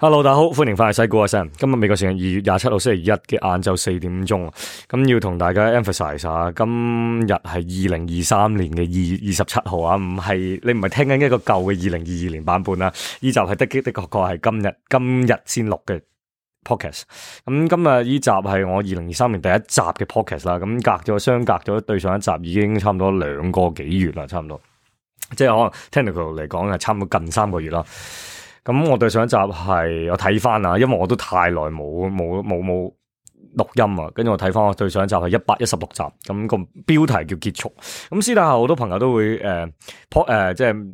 Hello，大家好，歡迎翻嚟西股阿 Sam。今日美國時間2月27號星期一嘅晏晝4點鐘，咁要同大家 emphasize 下，今日係2023年嘅2月27號啊，你唔係聽緊一個舊嘅2022年版本啦，呢集係的確係今日先錄嘅 podcast。咁今日呢集係我2023年第一集嘅 podcast 啦，咁相隔咗對上一集已經差唔多2個幾月啦，差唔多，即係可能 technical 嚟講係差唔多近3個月啦。咁我對上一集係我睇翻啊，因為我都太耐冇錄音啊，跟住我睇翻我對上一集係116集，咁個標題叫結束。咁私底下好多朋友都會即係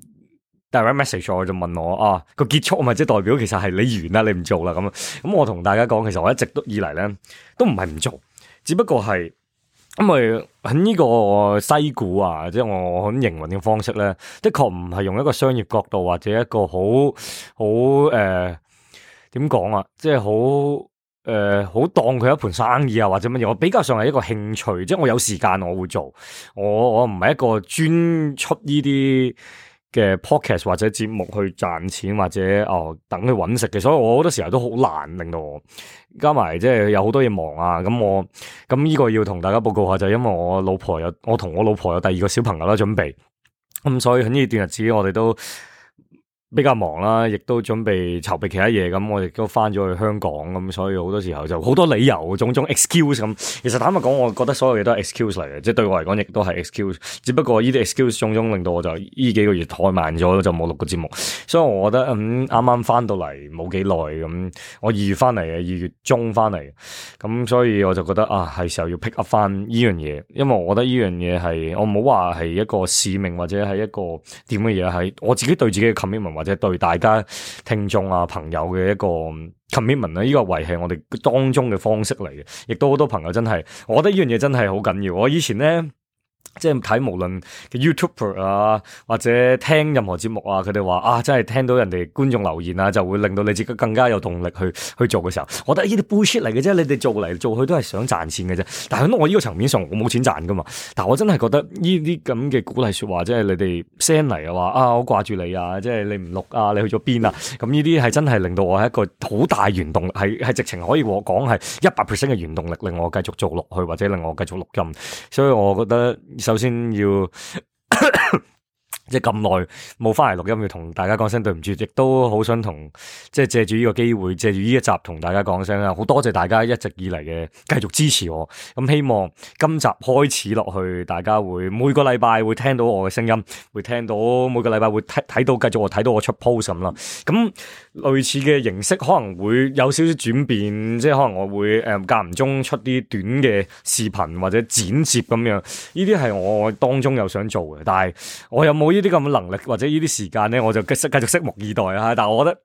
direct message 我就問我個結束咪即係代表其實係你完啦，你唔做啦咁我同大家講，其實我一直都以嚟咧都唔係唔做，只不過係因為喺呢個西股啊，即係我喺營運嘅方式咧，的確唔係用一個商業角度或者一個好點講啊，即係好當佢一盤生意啊或者乜嘢，我比較上係一個興趣，即係我有時間我會做，我唔係一個專出呢啲嘅 podcast 或者節目去賺錢或者等佢搵食嘅，所以我好多時候都好難令到我加埋即係有好多嘢忙啊，咁呢個要同大家報告下，就係因為我同我老婆有第2個小朋友啦準備，咁所以喺呢段日子我哋都比較忙啦，亦都準備籌備其他嘢，咁我亦都翻咗去香港，咁所以好多時候就好多理由，種種 excuse 咁。其實坦白講，我覺得所有嘢都係 excuse 嚟嘅，即係對我嚟講亦都係 excuse。只不過呢啲 excuse 種種令到我就呢幾個月怠慢咗，就冇錄過節目。所以我覺得啱啱翻到嚟冇幾耐，咁我2月翻嚟嘅，2月中翻嚟，咁所以我就覺得係時候要 pick up 翻呢樣嘢，因為我覺得呢樣嘢係我唔好話係一個使命或者係一個點嘅嘢，係我自己對自己嘅 commitment。或者對大家聽眾啊朋友嘅一個 commitment 呢個維係我哋當中嘅方式嚟嘅，亦都好多朋友真係，我覺得呢樣嘢真係好緊要。我以前咧即係睇無論嘅 YouTuber 啊或者聽任何節目啊，佢哋話真係聽到人哋觀眾留言啊，就會令到你自己更加有動力去做嘅時候，我覺得呢啲 bullshit 嚟嘅啫，你哋做嚟做去都係想賺錢嘅啫。但係喺我呢個層面上，我冇錢賺噶嘛。但係我真係覺得呢啲咁嘅鼓勵說話，即係你哋 send 嚟嘅話我掛住你啊，即係你唔錄啊，你去咗邊啊？咁呢啲係真係令到我係一個好大原動力，係直情可以講係100% 嘅原動力，令我繼續做落去或者令我繼續錄音。所以我覺得首先要即係咁耐冇翻嚟錄音，要同大家講聲對唔住，亦都好想即係借住呢個機會，借住呢一集同大家講聲啦，好多謝大家一直以嚟嘅繼續支持我。咁希望今集開始落去，大家會每個禮拜會聽到我嘅聲音，會聽到每個禮拜會睇到繼續睇到我出 post 咁啦。咁類似嘅形式可能會有少少轉變，即係可能我會間唔中出啲短嘅視頻或者剪接咁樣，呢啲係我當中有想做嘅，但係我有冇呢啲咁嘅能力或者呢啲時間咧，我就繼續拭目以待啊！但係我覺得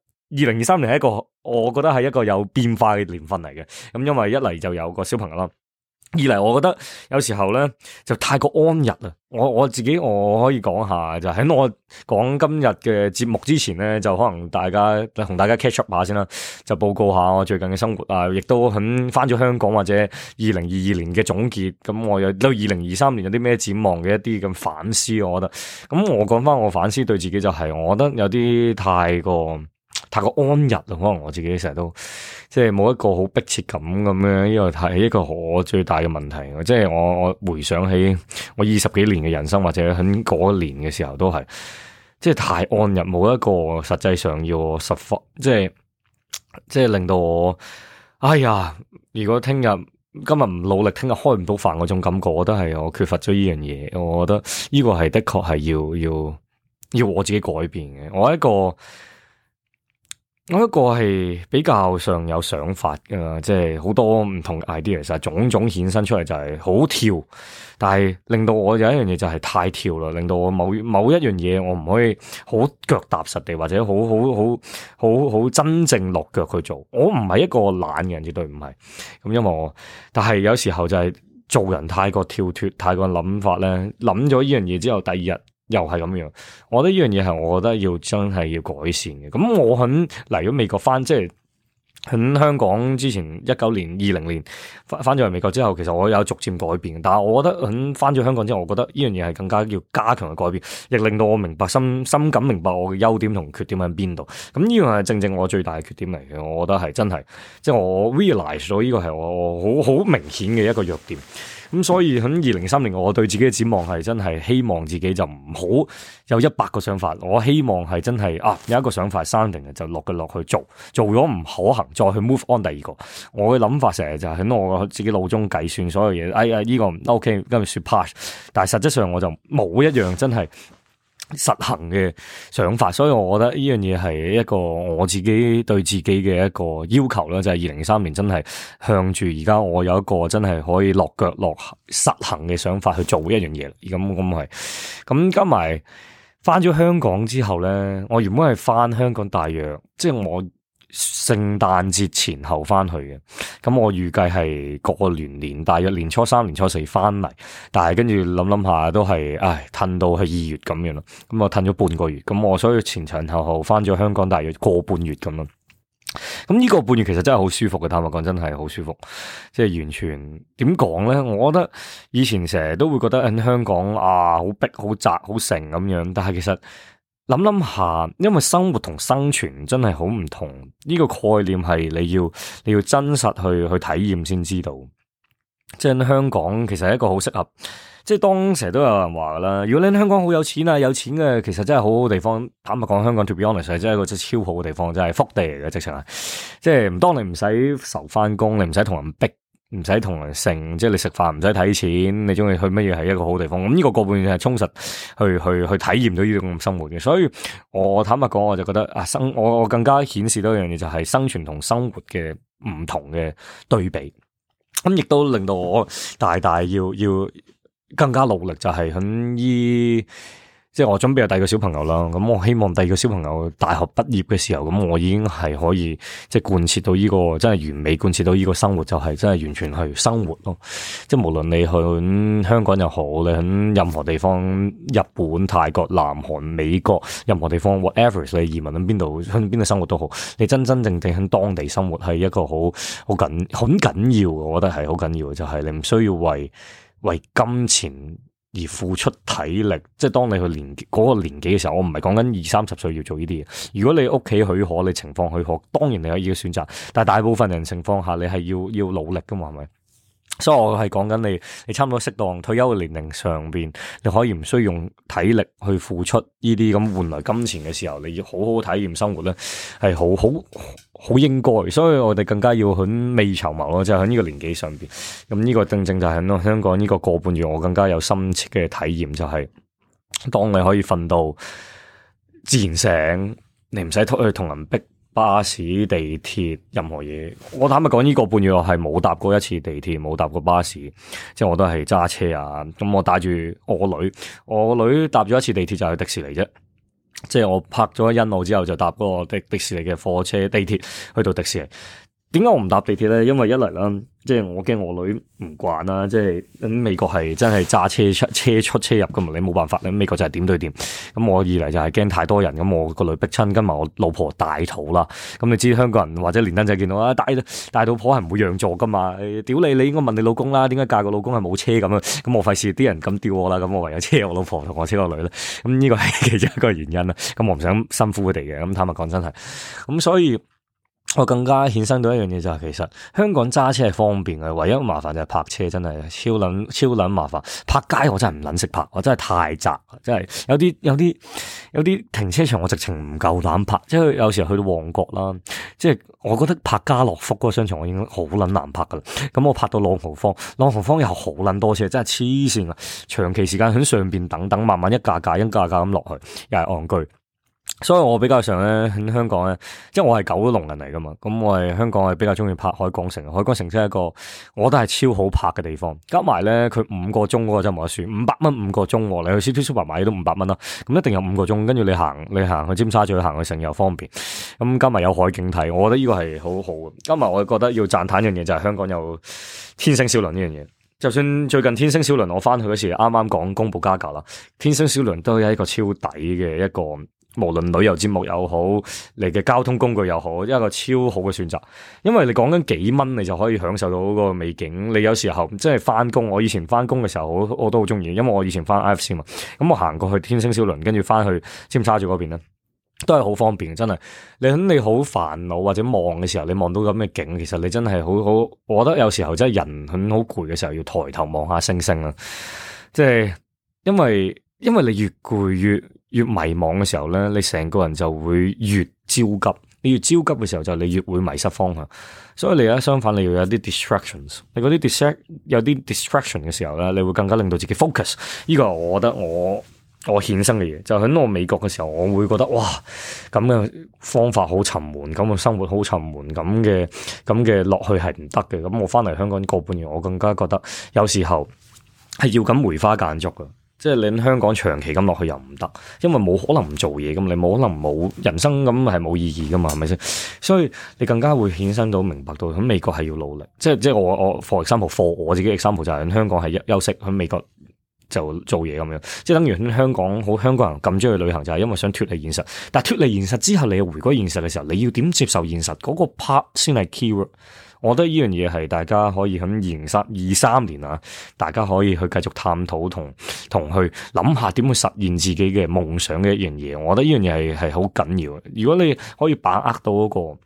2023年係一個，我覺得係一個有變化嘅年份嚟嘅。咁因為一嚟就有個小朋友啦，二嚟我覺得有時候咧就太過安逸啦。我自己我可以講下，就喺我講今日嘅節目之前咧，就可能同大家 catch up 下先啦，就報告下我最近嘅生活啊，亦都喺翻咗香港或者2022年嘅總結。咁我有到2023年有啲咩展望嘅一啲咁反思，我覺得咁我講翻我反思對自己就係，我覺得有啲太過安逸啦，可能我自己成日都即係冇一個好迫切感咁樣，呢個係一個我最大嘅問題。即係我回想起我20幾年嘅人生，或者喺嗰一年嘅時候都係即係太安逸，冇一個實際上要我實發，即係令到我如果今日唔努力，聽日開唔到飯嗰種感覺，我覺得係我缺乏咗呢樣嘢。我覺得呢個係的確係要我自己改變嘅。我一個係比較上有想法㗎，即係好多唔同 idea， 其實種種衍生出嚟就係好跳，但係令到我有一樣嘢就係太跳啦，令到我某一樣嘢我唔可以好腳踏實地或者好真正落腳去做。我唔係一個懶嘅人，絕對唔係。咁因為但係有時候就係做人太過跳脫，太過諗法咧，諗咗呢樣嘢之後，第二日又係咁樣，我覺得呢樣嘢係我覺得真係要改善嘅。咁我嚟咗美國翻，即係喺香港之前19年、20年翻咗嚟美國之後，其實我有逐漸改變，但係我覺得喺翻咗香港之後，我覺得呢樣嘢係更加要加強嘅改變，亦令到我明白深感明白我嘅優點同缺點喺邊度。咁呢樣係正正我最大嘅缺點嚟嘅，我覺得係真係，即係我 realize 咗呢個係我好明顯嘅一個弱點。咁所以喺2030年，我對自己嘅展望係真係希望自己就唔好有100個想法，我希望係真係有一個想法生定嘅就落去做咗唔可行，再去 move on 第二個。我嘅諗法成日就係喺我自己腦中計算所有嘢，哎呀呢個唔 OK， 跟住說 pass， 但係實質上我就冇一樣真係實行嘅想法，所以我覺得呢樣嘢係一個我自己對自己嘅一個要求啦，就係2030年真係向住而家我有一個真係可以落腳落實行嘅想法去做一樣嘢。咁加埋翻咗香港之後咧，我原本係翻香港大約即係我聖誕節前後翻去嘅，咁我預計係過年大約年初3、年初4翻嚟，但係跟住諗下都係，褪到去2月咁樣咯，咁我褪咗半個月，咁我所以前後翻咗香港大約個半月咁咯。咁呢個半月其實真係好舒服嘅，坦白講真係好舒服，即係完全點講咧？我覺得以前成日都會覺得喺香港好逼、好窄、好盛咁樣，但係其實諗下，因為生活同生存真係好唔同，呢個概念係你要真實去體驗先知道。即係香港其實係一個好適合，即係當成日都有人話噶啦，如果你喺香港好有錢啊，有錢嘅其實真係好好地方。坦白講，香港 to be honest 係真係一個真係超好嘅地方，真係福地嚟嘅，直情係。即係當你唔使愁翻工，你唔使同人逼。唔使同人剩，即係你食飯唔使睇錢，你中意去乜嘢係一個好地方。咁呢個半月係充實去體驗到呢種生活嘅。所以我坦白講，我就覺得我更加顯示到一樣嘢，就係生存同生活嘅唔同嘅對比。咁亦都令到我大要更加努力，就係喺即係我準備有第二個小朋友啦，咁我希望第二個小朋友大學畢業嘅時候，咁我已經係可以即係貫徹到呢個真係完美貫徹到呢個生活，就係真係完全去生活咯。即係無論你去香港又好，你喺任何地方，日本、泰國、南韓、美國，任何地方 whatever 你移民喺邊度生活都好，你真正喺當地生活係一個好緊要，我覺得係好緊要嘅，就係你唔需要為金錢而付出體力，即係當你去嗰個年紀嘅時候，我唔係講緊20-30歲要做呢啲嘢。如果你屋企許可，你情況許可，當然你可以選擇。但係大部分人情況下，你係要努力噶嘛，係咪？所以我係講緊你差唔多適當退休嘅年齡上邊，你可以唔需要用體力去付出呢啲咁換來金錢嘅時候，你要好好體驗生活咧，係好應該。所以我哋更加要喺未籌謀咯，就喺呢個年紀上邊。咁呢個正正就係香港呢個半月，我更加有深切嘅體驗，就係當你可以瞓到自然醒，你唔使去同人逼。巴士、地鐵，任何嘢，我坦白講，呢個半月我係冇搭過一次地鐵，冇搭過巴士，即係我都係揸車啊。咁我帶住我女搭咗一次地鐵就去迪士尼啫。即係我拍咗欣澳之後就搭嗰個迪士尼嘅火車、地鐵去到迪士尼。點解我唔搭地鐵咧？因為一嚟啦，即係我驚我女唔慣啦。即係喺美國係真係揸車出車入噶嘛，你冇辦法。你美國就係點對點。咁我二嚟就係驚太多人，咁我個女逼親，跟埋我老婆大肚啦。咁你知香港人或者連登仔見到啊，大肚婆係唔會讓座噶嘛？屌你應該問你老公啦，點解嫁個老公係冇車咁啊？咁我費事啲人咁吊我啦，咁我唯有車我老婆同我車個女啦。咁呢個係其中一個原因啦。咁我唔想辛苦佢哋嘅。咁坦白講真係，咁所以。我更加衍生到一樣嘢就係，其實香港揸車係方便嘅，唯一麻煩就係泊車，真係超撚麻煩。泊街我真係唔撚識泊，我真係太窄，真係有啲停車場我直情唔夠膽泊，即係有時候去到旺角啦，即係我覺得泊家樂福嗰個商場我已經好撚難泊噶啦。咁我泊到朗豪坊又好撚多車，真係黐線啊！長期時間喺上邊等，慢慢一架架咁落去，又係戇居。所以我比較上咧喺香港咧，即係我係九龍人嚟噶嘛，咁我係香港係比較中意泊海港城。海港城真係一個，我覺得係超好泊嘅地方。加埋咧，佢5個鐘嗰個真係冇得算，500蚊5個鐘，你去 City Super 買都500蚊啦。咁一定有5個鐘，跟住你行去尖沙咀行去城又方便。咁加埋有海景睇，我覺得呢個係好好嘅。加埋我覺得要讚嘆一樣嘢就係香港有天星小輪呢樣嘢。就算最近天星小輪我翻去嗰時啱啱講公布加價啦，天星小輪都有一個超抵嘅一個無論旅遊節目又好，你嘅交通工具又好，一個超好嘅選擇。因為你講緊幾蚊，你就可以享受到嗰個美景。你有時候即係翻工，我以前翻工嘅時候，我都好中意，因為我以前翻 IFC 嘛，咁我行過去天星小輪，跟住翻去尖沙咀嗰邊咧，都係好方便，真係。你好煩惱或者望嘅時候，你望到咁嘅景，其實你真係好，我覺得有時候真係人好攰嘅時候，要抬頭望下星星啦。即係因為你越攰越迷茫嘅時候咧，你成個人就會越焦急。你越焦急嘅時候，就你越會迷失方向。所以你而家相反，你要有啲 distractions。你嗰啲有啲 distraction 嘅時候咧，你會更加令到自己 focus。呢個我覺得我衍生嘅嘢，就喺我美國嘅時候，我會覺得哇，咁嘅方法好沉悶，咁嘅生活好沉悶，咁嘅落去係唔得嘅。咁我翻嚟香港個半月，我更加覺得有時候係要咁梅花間竹嘅。即係你喺香港長期咁落去又唔得，因為冇可能唔做嘢咁，你冇可能冇人生咁係冇意義噶嘛，係咪先？所以你更加會衍生到明白到喺美國係要努力。即係我 for example 我自己 example 就係喺香港係休息，喺美國就做嘢咁樣。即係等於喺香港好香港人咁中意去旅行，就係因為想脫離現實。但係脫離現實之後，你又回歸現實嘅時候，你要點接受現實嗰個 part 先係 keyword。我覺得呢樣嘢係大家可以喺2023年啊，大家可以去繼續探討同去諗下點去實現自己嘅夢想嘅一樣嘢。我覺得呢樣嘢係好緊要。如果你可以把握到嗰個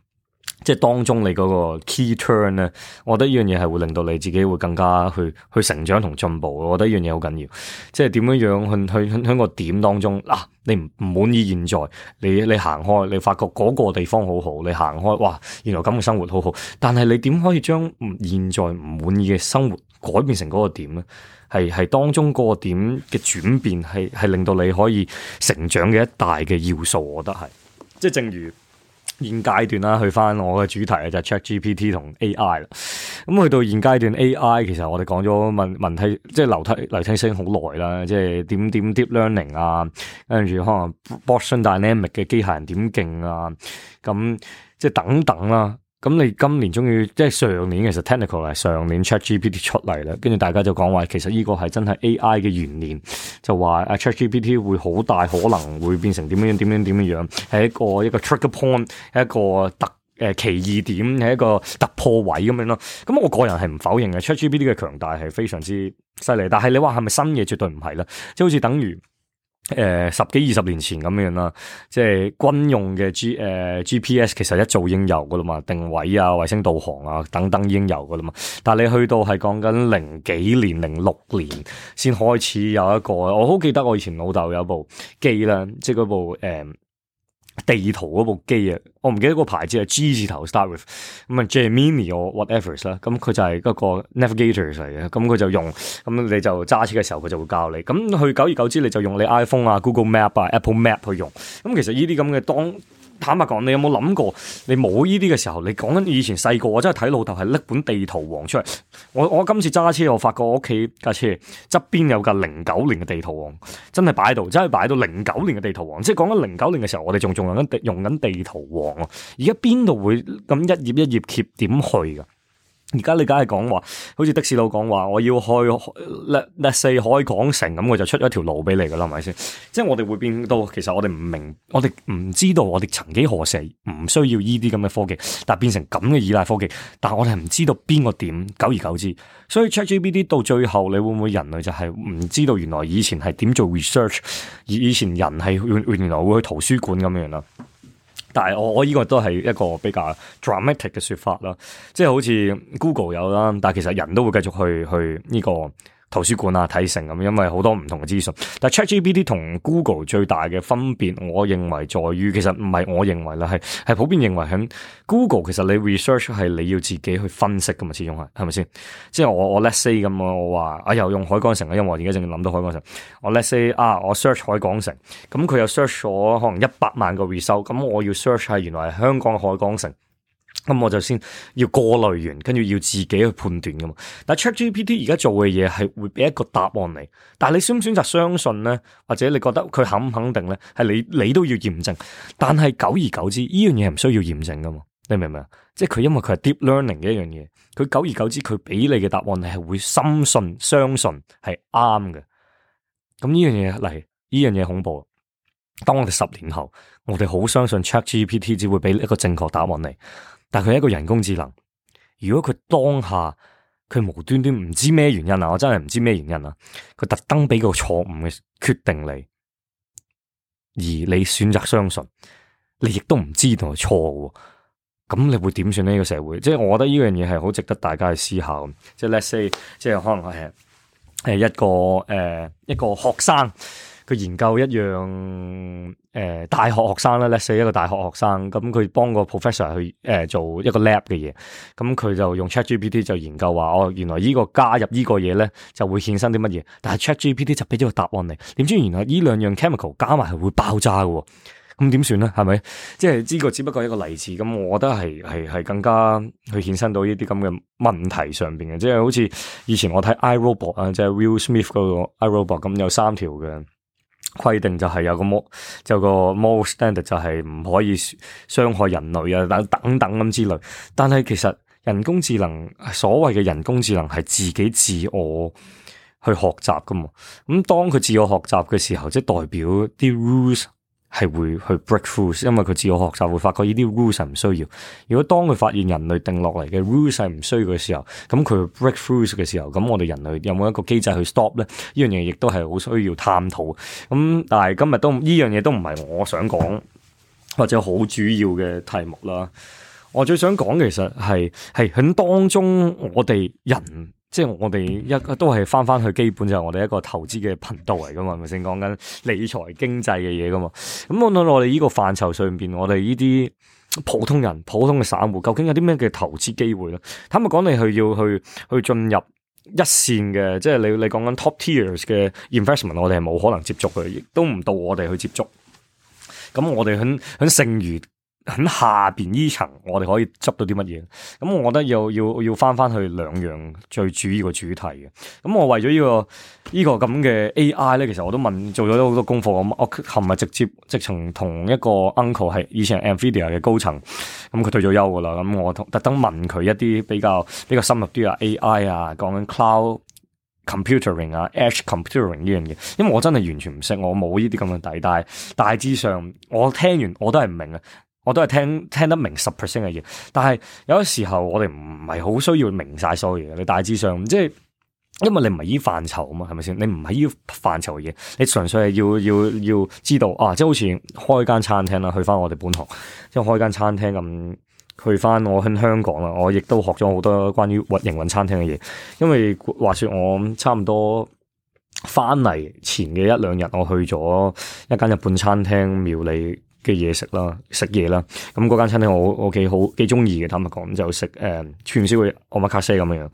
即係當中你嗰個 key turn 咧，我覺得呢樣嘢係會令到你自己會更加去成長同進步。我覺得呢樣嘢好緊要，即係點樣去喺個點當中嗱，你唔滿意現在，你行開，你發覺嗰個地方好好，你行開，哇，原來咁嘅生活好好，但係你點可以將現在唔滿意嘅生活改變成嗰個點咧？係當中嗰個點嘅轉變係令到你可以成長嘅一大嘅要素。我覺得係，即係正如現階段啦，去翻我嘅主題就係 ChatGPT 同 AI 啦。咁去到現階段 AI，其實我哋講咗問題，即係流體聲好耐啦，即係點 deep learning 啊，跟住可能 Boston Dynamic 嘅機械人點勁啊，咁即係等等啦。咁你今年終於即係上年，其實 technical 係上年 ChatGPT 出嚟啦，跟住大家就講話其實呢個係真係 AI 嘅元年，就話 ChatGPT 會好大可能會變成點樣，係一個 trigger point，係一個奇異點，係一個突破位咁樣咯。咁我個人係唔否認嘅 ChatGPT 嘅強大係非常之犀利，但係你話係咪新嘢，絕對唔係啦，即係好似等於10幾20年前咁樣啦，即係軍用嘅GPS 其實一早已經有噶啦嘛，定位啊、衛星導航啊等等已經有噶啦嘛。但係你去到係講緊零幾年、06年先開始有一個，我好記得我以前老豆有部機啦，即係嗰部地圖嗰部機啊，我唔記得個牌子係 G 字頭 start with， 咁啊 Gemini or whatever 啦，咁佢就係嗰個 navigator 嚟嘅，咁佢就用，咁你就揸車嘅時候佢就會教你，咁去久而久之你就用你 iPhone 啊、Google Map 啊、Apple Map 去用，咁其實呢啲咁嘅坦白講，你有冇諗過？你冇呢啲嘅時候，你講緊以前細個，我真係睇老豆係拎本地圖王出嚟。我今次揸車，我發覺我屋企架車側邊有架09年嘅地圖王，真係擺喺度，真係擺到09年嘅地圖王。即係講緊09年嘅時候，我哋仲用緊地圖王啊！而家邊度會咁一頁一頁揭點去噶？而家你梗係講話，好似的士佬講話，我要去let's say海港城咁，我就出一條路俾你噶啦，係咪先？即係我哋會變到，其實我哋唔明，我哋唔知道，我哋曾幾何時唔需要呢啲咁嘅科技，但係變成咁嘅依賴科技，但係我哋係唔知道邊個點，久而久之，所以 ChatGPT 到最後，你會唔會人類就係唔知道原來以前係點做 research， 而以前人係原來會去圖書館咁樣啦。但係我呢個都係一個比較 dramatic 嘅說法啦，即係好似 Google 有啦，但係其實人都會繼續去呢個圖書館啊睇成咁，因為好多唔同嘅資訊。但係 ChatGPT 同 Google 最大嘅分別，我認為在於，其實唔係我認為啦，係普遍認為喺 Google 其實你 research 係你要自己去分析噶嘛，始終係咪先？即係我 let's say 咁，我話又用海港城啊，因為我而家正諗到海港城，我 let's say 我 search 海港城，咁佢又 search 咗可能100萬個 result， 咁我要 search 係原來係香港嘅海港城。咁我就先要過濾完，跟住要自己去判斷噶嘛。但係 ChatGPT 而家做嘅嘢係會俾一個答案你，但係你選唔選擇相信咧，或者你覺得佢肯唔肯定咧，係你都要驗證。但係久而久之，呢樣嘢係唔需要驗證噶嘛？你明唔明啊？即係佢因為佢係 deep learning 嘅一樣嘢，佢久而久之佢俾你嘅答案你係會深信相信係啱嘅。咁呢樣嘢嚟，呢樣嘢恐怖。當我哋10年後，我哋好相信 ChatGPT 只會俾一個正確答案你，但佢係一個人工智能。如果佢當下佢無端端唔知咩原因啊，我真係唔知咩原因啊，佢特登俾個錯誤嘅決定你，而你選擇相信，你亦都唔知道係錯嘅，咁你會點算呢個社會？即係我覺得呢樣嘢係好值得大家去思考。即係 let's say，即係可能係一個學生。佢研究一樣大學學生啦，let's say 一個大學學生，咁佢幫個 professor 去做一個 lab 嘅嘢，咁佢就用 ChatGPT 就研究話，哦，原來呢個加入呢個嘢咧就會衍生啲乜嘢，但係 ChatGPT 就俾咗個答案你，點知原來呢兩樣 chemical 加埋係會爆炸嘅，咁點算咧？係咪？即係呢個只不過係一個例子，咁我覺得係更加去衍生到呢啲咁嘅問題上邊嘅，即係好似以前我睇 iRobot 啊，即係 Will Smith 嗰個 iRobot， 咁有3條嘅規定，就係有個 moral standard 就係唔可以傷害人類啊，等等咁之類。但係其實人工智能，所謂嘅人工智能係自己自我去學習噶嘛。咁當佢自我學習嘅時候，即係代表啲 rules 係會去 break through， 因為佢自我學習會發覺呢啲 rules 係唔需要。如果當佢發現人類定落嚟嘅 rules 係唔需要嘅時候，咁佢 break through 嘅時候，咁我哋人類有冇一個機制去 stop 咧？呢樣嘢亦都係好需要探討。咁但係今日都呢樣嘢都唔係我想講或者好主要嘅題目啦。我最想講其實係喺當中我哋人。即係我哋都係翻去基本，就係我哋一個投資嘅頻道嚟噶嘛，係咪先講緊理財經濟嘅嘢噶嘛？咁我哋呢個範疇上邊，我哋呢啲普通人、普通嘅散戶，究竟有啲咩嘅投資機會咧？坦白講，你要去進入一線嘅，即係你講緊 top tiers 嘅 investment， 我哋係冇可能接觸嘅，亦都唔到我哋去接觸。咁我哋喺剩餘喺下邊呢層，我哋可以執到啲乜嘢？咁我覺得要翻去兩樣最主要嘅主題嘅。咁我為咗呢個咁嘅 AI 咧，其實我都做咗好多功課。我琴日直情同一個 uncle 係以前係 Nvidia 嘅高層，咁佢退咗休噶啦。咁我特登問佢一啲比較深入啲啊 AI 啊，講緊 cloud computing 啊 edge computing 呢樣嘢，因為我真係完全唔識，我冇呢啲咁嘅底，但係大致上我聽完我都係唔明啊。我都係聽得明10% 嘅嘢，但係有啲時候我哋唔係好需要明晒所有嘢嘅。你大致上即係，因為你唔係依範疇啊嘛，係咪先？你唔係依範疇嘅嘢，你純粹係要知道啊，即係好似開間餐廳啦，去翻我哋本行，即係開間餐廳咁，去翻我喺香港啦，我亦都學咗好多關於營運餐廳嘅嘢。因為話說我差唔多翻嚟前嘅1-2日，我去咗一間日本餐廳料理嘅嘢食嘢啦，咁嗰間餐廳我幾中意嘅，坦白講就食串燒嘅omakase咁樣。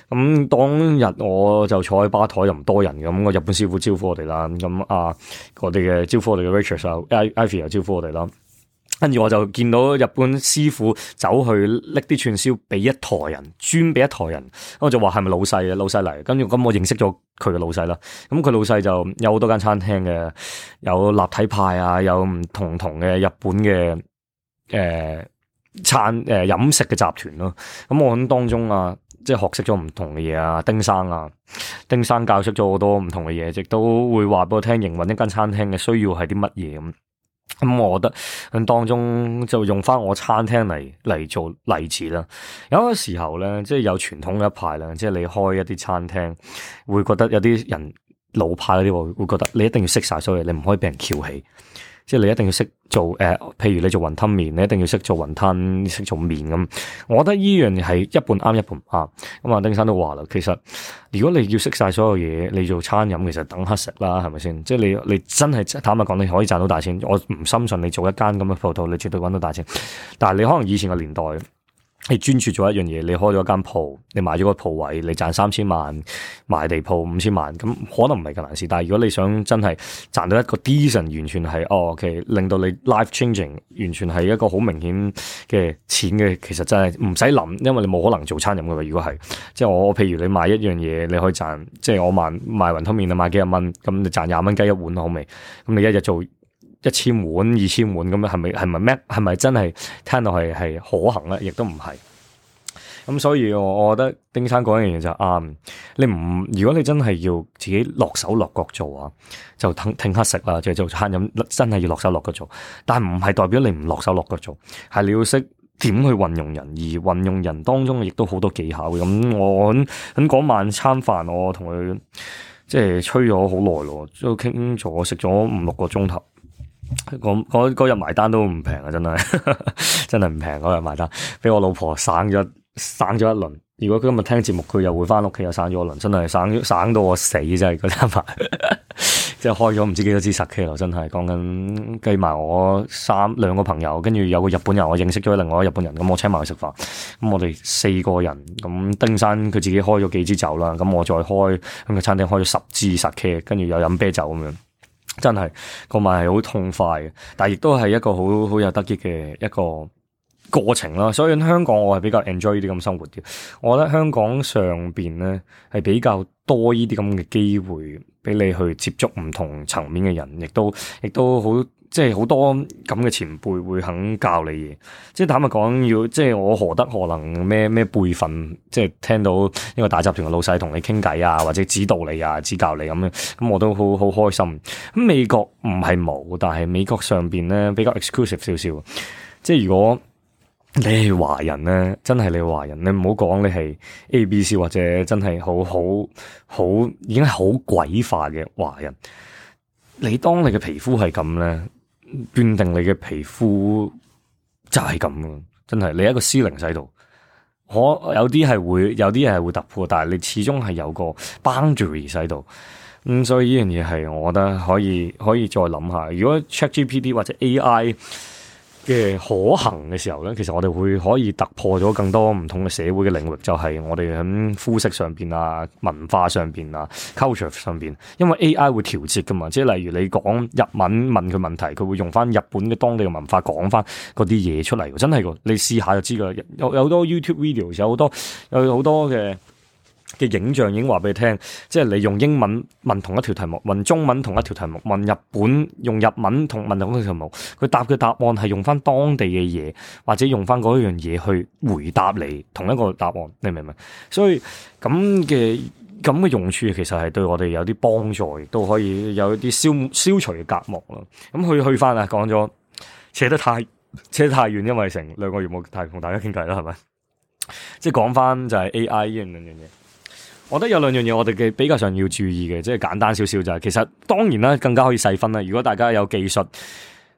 咁當日我就坐喺吧台，又唔多人嘅，咁個日本師傅招呼我哋啦，咁我哋嘅招呼我哋嘅 waitress 啊 Ivy 又招呼我哋啦。跟住我就見到日本師傅走去拎啲串燒俾一台人，專俾一台人。我就話係咪老細嚟？跟住咁我認識咗佢嘅老細啦。咁佢老細就有好多間餐廳嘅，有立體派啊，有唔同嘅日本嘅飲食嘅集團咯。咁我喺當中即係學識咗唔同嘅嘢啊，丁生教識咗好多唔同嘅嘢，亦都會話俾我聽營運一間餐廳嘅需要係啲乜嘢咁。咁我覺得喺當中就用翻我餐廳嚟做例子啦。有個時候咧，即係有傳統嘅一派啦，即係你開一啲餐廳，會覺得有啲人老派嗰啲會覺得你一定要識晒所有嘢，你唔可以俾人翹起。即係你一定要識做譬如你做雲吞麵，你一定要識做雲吞，識做麵咁。我覺得呢樣係一半啱一半唔啱。咁丁生都話啦，其實如果你要識晒所有嘢，你做餐飲其實等乞食啦，係咪先？即係你真係坦白講，你可以賺到大錢。我唔深信你做一間咁嘅鋪頭，你絕對搵到大錢。但係你可能以前嘅年代，你專注做一樣嘢，你開咗一間鋪，你買咗個鋪位，你賺3000萬，賣地鋪5000萬，咁可能唔係咁難事。但係如果你想真係賺到一個 decent，完全係OK，令到你 life changing，完全係一個好明顯嘅錢嘅，其實真係唔使諗，因為你冇可能做餐飲㗎嘛。如果係，即係我譬如你賣一樣嘢，你可以賺，即係我賣雲吞麵啊，賣幾廿蚊，咁你賺20蚊雞一碗好未？咁你一日做1000碗、2000碗咁樣，係咪真係聽到係可行咧？亦都唔係。咁所以我覺得丁生講一樣嘢就啱。你唔，如果你真係要自己落手落腳做啊，就挺乞食啦，就做餐飲，真係要落手落腳做。但唔係代表你唔落手落腳做，係你要識點去運用人，而運用人當中亦都好多技巧嘅。咁我喺嗰晚餐飯，我同佢即係吹咗好耐咯，都傾咗食咗5-6個鐘頭。嗰日埋單都唔平啊，真係真係唔平嗰日埋單，俾我老婆省咗一輪。如果佢今日聽節目，佢又會翻屋企又省咗一輪，真係省到我死真係嗰餐飯，即係開咗唔知幾多支10K咯，真係講緊計埋我2個朋友，跟住有個日本人，我認識咗另外一個日本人，咁我請埋佢食飯，咁我哋4個人，咁丁生佢自己開咗幾支酒啦，咁我再開咁個餐廳開咗10支10K，跟住又飲啤酒咁樣。真係個晚係好痛快嘅，但係亦都係一個好有得益嘅一個過程啦。所以喺香港我係比較 enjoy 呢啲咁生活嘅。我覺得香港上邊咧係比較多呢啲咁嘅機會俾你去接觸唔同層面嘅人，亦都好。即係好多咁嘅前輩會肯教你嘢，即係坦白講，要即係我何德何能咩輩分，即係聽到一個大集團嘅老細同你傾偈啊，或者指導你啊、指教你咁樣，咁我都好開心。咁美國唔係冇，但係美國上邊咧比較 exclusive 少少。即係如果你係華人咧，真係你係華人，你唔好講你係 ABC 或者真係好已經係好鬼化嘅華人。你當你嘅皮膚係咁咧，斷定你嘅皮膚就係咁咯，真係你一個C0喺度，有啲係會突破，但係你始終係有個 boundary 喺度，所以呢樣嘢係我覺得可以再諗下。如果 ChatGPT 或者 AI 嘅可行嘅時候咧，其實我哋可以突破咗更多唔同嘅社會嘅領域，就係我哋喺膚色上邊啊、文化上邊啊、culture 上邊，因為 AI 會調節噶嘛，即係例如你講日文問佢問題，佢會用翻日本嘅當地嘅文化講翻嗰啲嘢出嚟，真係噶，你試下就知噶。有好多 YouTube videos，有好多嘅影像已經話俾你聽，即係你用英文問同一條題目，問中文同一條題目，問日本用日文問同一條題目，佢答嘅答案係用翻當地嘅嘢，或者用翻嗰樣嘢去回答你同一個答案，你明唔明？所以咁嘅用處其實係對我哋有啲幫助，亦都可以有一啲消除嘅隔膜咯。咁去翻啊，講咗扯得太遠，因為成2個月冇同大家傾偈啦，係咪？即係講翻就係 AI 呢樣嘢。我覺得有2樣嘢我哋比較上要注意嘅，即係簡單少少就係，其實當然啦，更加可以細分啦。如果大家有技術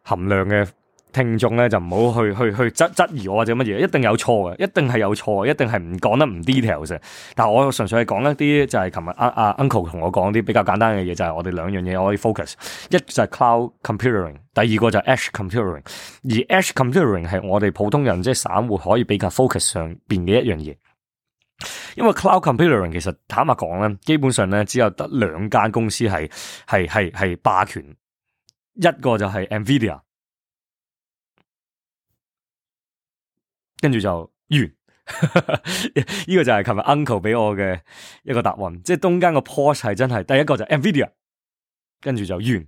含量嘅聽眾咧，就唔好去質疑我或者乜嘢，一定有錯嘅，一定係有錯，一定係唔講得唔 details 嘅。但係我純粹係講一啲就係琴日Uncle 同我講啲比較簡單嘅嘢，就係我哋2樣嘢可以 focus， 一就係 cloud computing， 第2個就係 edge computing。而 edge computing 係我哋普通人即係散戶可以比較 focus 上邊嘅一樣嘢。因為 cloud computing 其實坦白講咧，基本上咧只有得2間公司係霸權，一個就係 Nvidia， 跟住就完。呢個就係琴日 Uncle 俾我嘅一個答案，即係中間個 pause 係真係第一個就係 Nvidia， 跟住就完。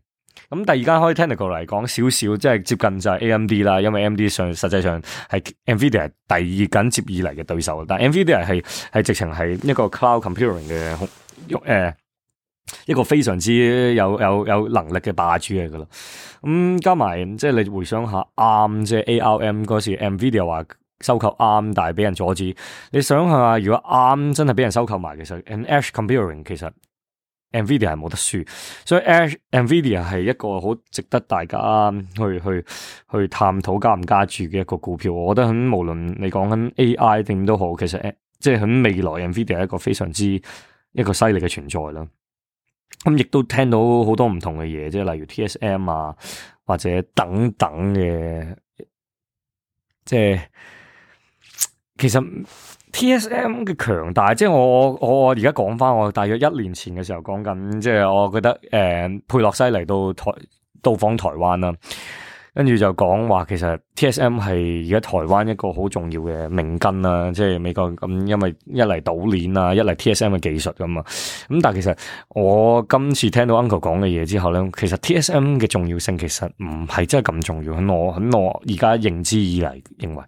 咁第2間可以 technical 嚟講少少，即係接近就係 AMD 啦，因為 AMD 實際上係 Nvidia 第2緊接以嚟嘅對手，但係 Nvidia 係直情係一個 cloud computing 嘅一個非常之有能力嘅霸主嚟噶啦。加埋即係你回想下 ARM， 即係 ARM 嗰時 Nvidia 話收購 ARM， 但係俾人阻止。你想下，如果 ARM 真係俾人收購埋，其實 edge computing 其實Nvidia 係冇得輸，所以 Nvidia 係一個好值得大家去探討加唔加注嘅一個股票。我覺得無論你講緊 AI 點都好，其實即係喺未來 Nvidia 係一個非常之一個犀利嘅存在啦。亦都聽到好多唔同嘅嘢，即係例如 TSM 啊，或者等等嘅，即係其實。TSM 嘅強大，即係我而家講翻，我大約1年前嘅時候講緊，即係我覺得佩洛西嚟到訪台灣啦，跟住就講話其實 TSM 係而家台灣一個好重要嘅命根啦，即係美國咁，因為一嚟島鏈啊，一嚟 TSM 嘅技術噶嘛，咁但係其實我今次聽到 Uncle 講嘅嘢之後咧，其實 TSM 嘅重要性其實唔係真係咁重要，喺我而家認知以嚟認為。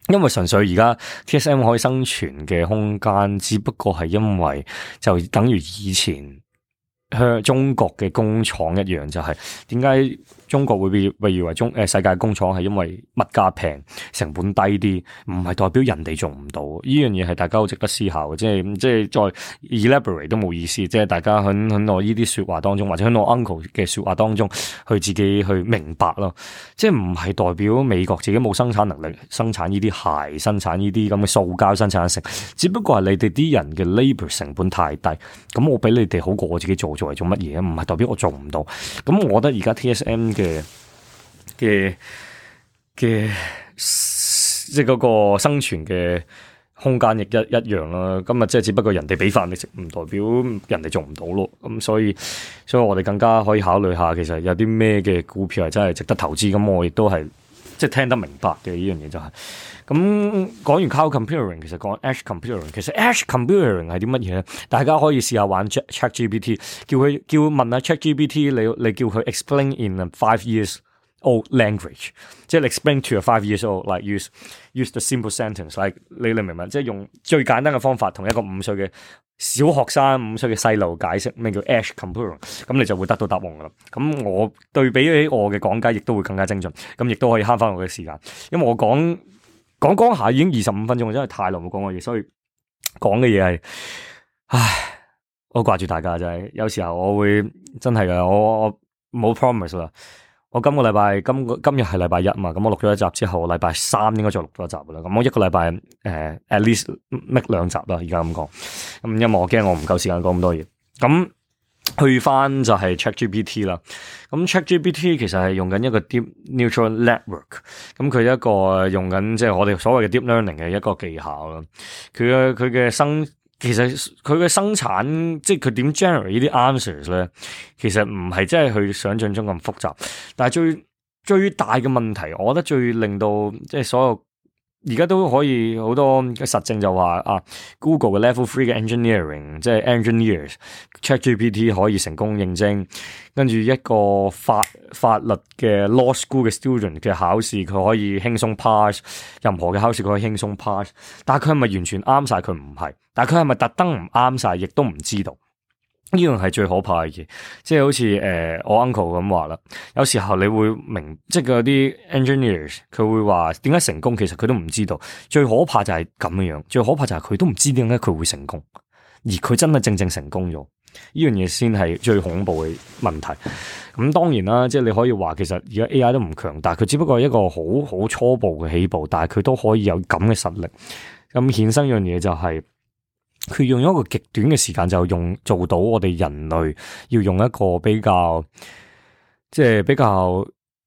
因為純粹而家 TSM 可以生存嘅空間，只不過係因為就等於以前向中國嘅工廠一樣，就係點解中國會被譽為世界工廠，係因為物價平、成本低啲，唔係代表人哋做唔到。呢樣嘢係大家好值得思考嘅，即係再 elaborate 都冇意思。即係大家喺我呢啲說話當中，或者喺我 uncle 嘅說話當中，去自己去明白咯。即係唔係代表美國自己冇生產能力生產呢啲鞋、生產呢啲咁嘅塑膠生產成，只不過係你哋啲人嘅 labour 成本太低，咁我比你哋好過我自己做嚟做乜嘢？唔係代表我做唔到。咁我覺得而家 TSM 嘅即係嗰個生存嘅空間亦一樣啦。今日即係只不過人哋俾飯你食，唔代表人哋做唔到咯。咁所以我哋更加可以考慮下，其實有啲咩嘅股票係真係值得投資。咁我亦都係即係聽得明白嘅呢樣嘢就係。咁講完 cloud computing， 其實講 edge computing， 其實 edge computing 係啲乜嘢咧？大家可以試下玩 ChatGPT， 叫問下 ChatGPT， 你叫佢 explain in a 5 years old language， 即係 explain to a 5 years old，like use the simple sentence，like 你明唔明？即係用最簡單嘅方法，同一個5歲嘅小學生、5歲嘅細路解釋咩叫 edge computing， 咁你就會得到答案噶啦。咁我對比起我嘅講解，亦都會更加精準，咁亦都可以慳翻我嘅時間，因為我講下已經25分鐘，真係太耐冇講過嘢，所以講嘅嘢係，唉，我掛住大家真係，有時候我會真係噶，我冇 promise 啦。我今日係禮拜一嘛，咁我錄咗一集之後，禮拜三應該再錄多一集噶啦。咁我一個禮拜at least make 2集啦，而家咁講。咁因為我驚我唔夠時間講咁多嘢。咁去翻就係 ChatGPT 啦。咁 ChatGPT 其實係用緊一個 Deep Neural Network。咁佢一個用緊即係我哋所謂嘅 Deep Learning 嘅一個技巧啦。其實佢嘅生產，即係佢點 generate 呢啲 answers 咧，其實唔係真係佢想象中咁複雜。但係最大嘅問題，我覺得最令到即係所有而家都可以好多嘅實證就話Google 嘅 Level 3嘅 engineering， 即係 engineers ChatGPT 可以成功認證，跟住一個法律嘅 law school 嘅 student 嘅考試佢可以輕鬆 pass， 任何嘅考試佢可以輕鬆 pass， 但係佢係咪完全啱晒？佢唔係，但係佢係咪特登唔啱晒？亦都唔知道。呢樣係最可怕嘅嘢，即係好似我 uncle 咁話啦，有時候你會明，即係嗰啲 engineers 佢會話點解成功，其實佢都唔知道。最可怕就係咁樣，最可怕就係佢都唔知點解佢會成功，而佢真係正成功咗，呢樣嘢先係最恐怖嘅問題。咁當然啦，即係你可以話其實而家 AI 都唔強大，佢只不過係一個好初步嘅起步，但係佢都可以有咁嘅實力。咁衍生一樣嘢就係，佢用一個極短嘅時間就做到我哋人類要用一個比較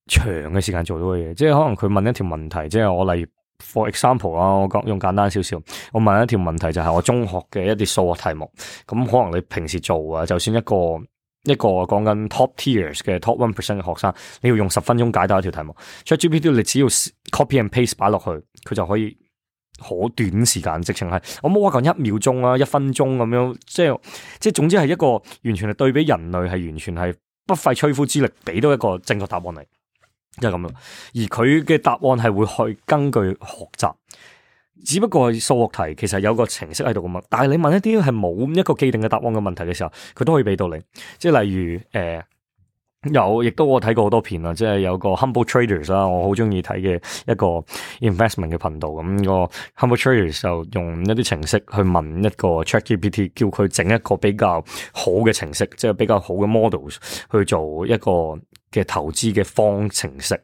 長嘅時間做到嘅嘢，即係可能佢問一條問題，即係我例如 for example 啦，我用簡單少少，我問一條問題就係我中學嘅一啲數學題目，咁可能你平時做啊，就算一個講緊 top tiers 嘅 top 1% 嘅學生，你要用10分鐘解答一條題目 ，ChatGPT 你只要 copy and paste 擺落去，佢就可以。好短時間，直情係我冇話講1秒鐘啊，1分鐘咁樣，即係總之係一個完全係對比人類係完全係不費吹灰之力俾到一個正確答案嚟，即係咁樣。而佢嘅答案係會去根據學習，只不過數學題其實有個程式喺度噶嘛。但係你問一啲係冇一個既定嘅答案嘅問題嘅時候，佢都可以俾到你。即係例如亦都我睇過好多片啦，即係有個 Humble Traders 啦，我好中意睇嘅一個 investment 嘅頻道。咁個 Humble Traders 就用一啲程式去問一個 ChatGPT， 叫佢整一個比較好嘅程式，即係比較好嘅 models 去做一個嘅投資嘅方程式。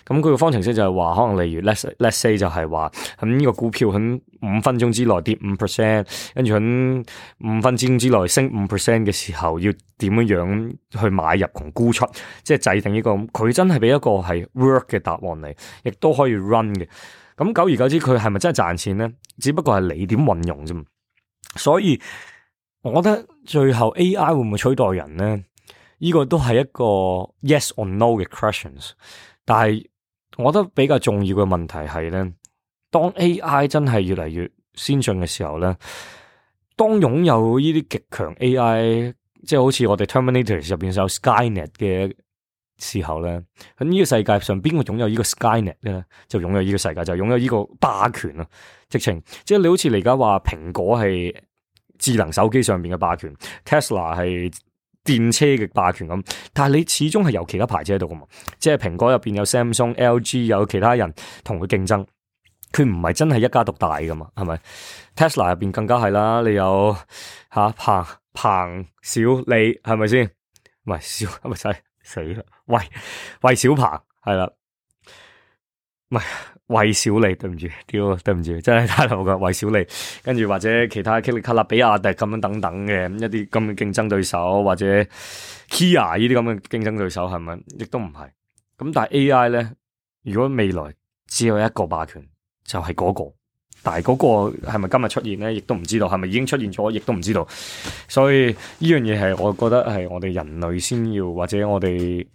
咁佢個方程式就係話，可能例如 let's say 就係話，咁呢個股票喺5分鐘之內跌 5%， 跟住喺5分鐘之內升 5% 嘅時候，要點樣去買入同沽出，即係制定呢個，佢真係俾一個係 work 嘅答案嚟，亦都可以 run 嘅。咁久而久之，佢係咪真係賺錢咧？只不過係你點運用啫。所以我覺得最後 AI 會唔會取代人咧？呢個都係一個 yes or no 嘅 questions， 但係我覺得比較重要嘅問題係咧，當 AI 真係越嚟越先進嘅時候咧，當擁有呢啲極強 AI， 即係好似我哋 Terminator 入邊有 Skynet 嘅時候咧，喺呢個世界上邊個擁有呢個 Skynet 咧，就擁有呢個世界，就擁有呢個霸權啊！直情即係你好似你而家話蘋果係智能手機上邊嘅霸權 ，Tesla 係電車嘅霸權咁，但係你始終係有其他牌子喺度噶嘛？即係蘋果入邊有 Samsung、LG 有其他人同佢競爭，佢唔係真係一家獨大噶嘛？係咪 ？Tesla 入邊更加係啦，你有彭小李係咪先？唔係小係咪使死啦？魏小鵬係啦，唔係魏小李，對唔住，對唔住，真係太老噶魏小李，跟住或者其他卡納比亞迪咁樣等等嘅一啲咁嘅競爭對手，或者 Kia 呢啲咁嘅競爭對手係咪？亦都唔係。咁但係 AI 咧，如果未來只有一個霸權，就係嗰個。但係嗰個係咪今日出現咧，亦都唔知道，係咪已經出現咗，亦都唔知道。所以呢樣嘢係我覺得係我哋人類先要，或者我哋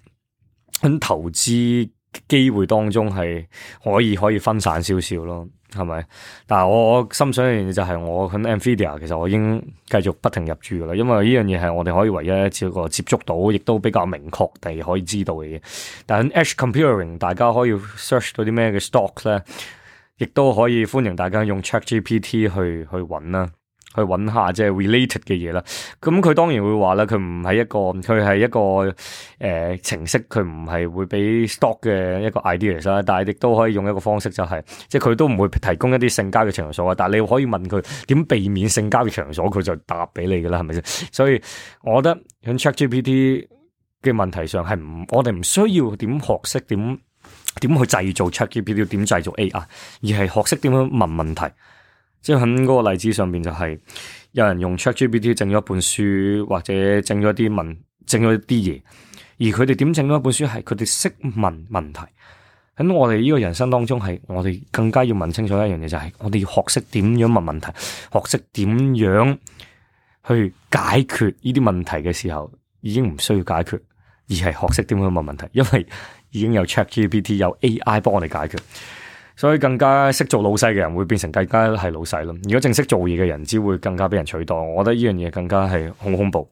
喺投資機會當中係可以分散少少咯，係咪？但係我心想一樣嘢就係我喺 Nvidia 其實我已經繼續不停入駐噶啦，因為呢樣嘢係我哋可以唯一一個接觸到，亦都比較明確地可以知道嘅嘢。但係喺 Edge Computing 大家可以 search 到啲咩嘅 stock 咧？亦都可以歡迎大家用 ChatGPT 去揾啦，去揾下即係 related 嘅嘢啦。咁佢當然會話啦，佢係一個程式，佢唔係會俾 stock 嘅一個 ideas 啦。但係亦都可以用一個方式，就係即係佢都唔會提供一啲性交易場所啊。但係你可以問佢點避免性交易場所，佢就答俾你噶啦，係咪先？所以我覺得喺 ChatGPT 嘅問題上係我哋唔需要點學識點去製造 ChatGPT， 點製造 AI， 而係學識點樣問問題。即係喺嗰個例子上邊就係有人用 ChatGPT 整咗一本書，或者整咗啲嘢，而佢哋點整咗一本書係佢哋識問問題。喺我哋呢個人生當中係我哋更加要問清楚一樣嘢，就係我哋要學識點樣問問題，學識點樣去解決呢啲問題嘅時候，已經唔需要解決，而係學識點樣問問題，因為已經有 ChatGPT 有 AI 幫我哋解決，所以更加識做老細嘅人會變成更加係老細咯。如果正式做嘢嘅人，只會更加俾人取代。我覺得呢樣嘢更加係好恐怖，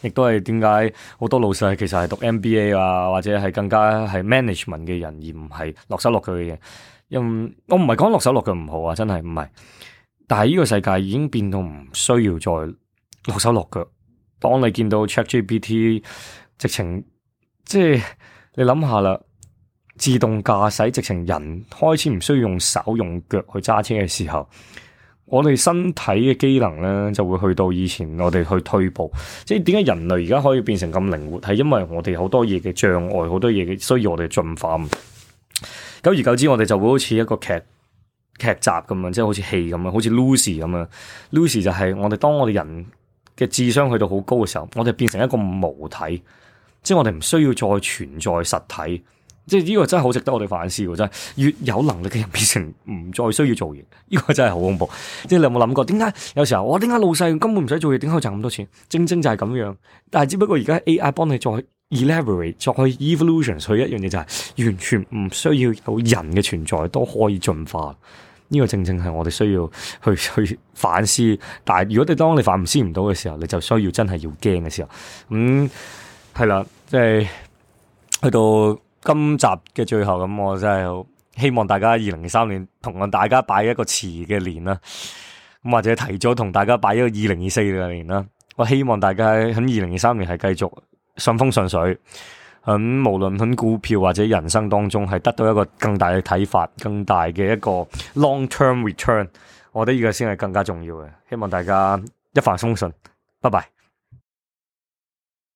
亦都係點解好多老細其實係讀 MBA 啊，或者係更加係 management 嘅人，而唔係落手落腳嘅嘢。因為我唔係講落手落腳唔好啊，真係唔係。但係呢個世界已經變到唔需要再落手落腳。當你見到 ChatGPT 直情即係。你諗下啦，自動駕駛直情人開始唔需要用手用腳去揸車嘅時候，我哋身體嘅機能咧就會去到以前我哋去退步。即係點解人類而家可以變成咁靈活，係因為我哋好多嘢嘅障礙，好多嘢嘅需要我哋進化。久而久之，我哋就會好似一個劇集咁樣，即係好似戲咁樣，好似 Lucy 咁樣。Lucy 就係當我哋人嘅智商去到好高嘅時候，我哋變成一個母體。即係我哋唔需要再存在實體，即係呢個真係好值得我哋反思喎！真係越有能力嘅人變成唔再需要做嘢，呢個真係好恐怖。即係你有冇諗過？點解有時候點解老細根本唔使做嘢，點解可以賺咁多錢？正正就係咁樣。但係只不過而家 AI 幫你再 elaborate，再 evolution 去一樣嘢，就係完全唔需要有人嘅存在都可以進化。呢個正正係我哋需要去反思。但係如果當你反思唔到嘅時候，你就需要真係要驚嘅時候，係啦，即係去到今集嘅最後咁，我真係希望大家2023年同大家擺一個遲嘅年啦，咁或者提早同大家擺一個2024嘅年啦。我希望大家喺2023年係繼續順風順水，喺無論喺股票或者人生當中係得到一個更大嘅睇法，更大嘅一個 long term return。我覺得呢個先係更加重要嘅。希望大家一帆風順，拜拜。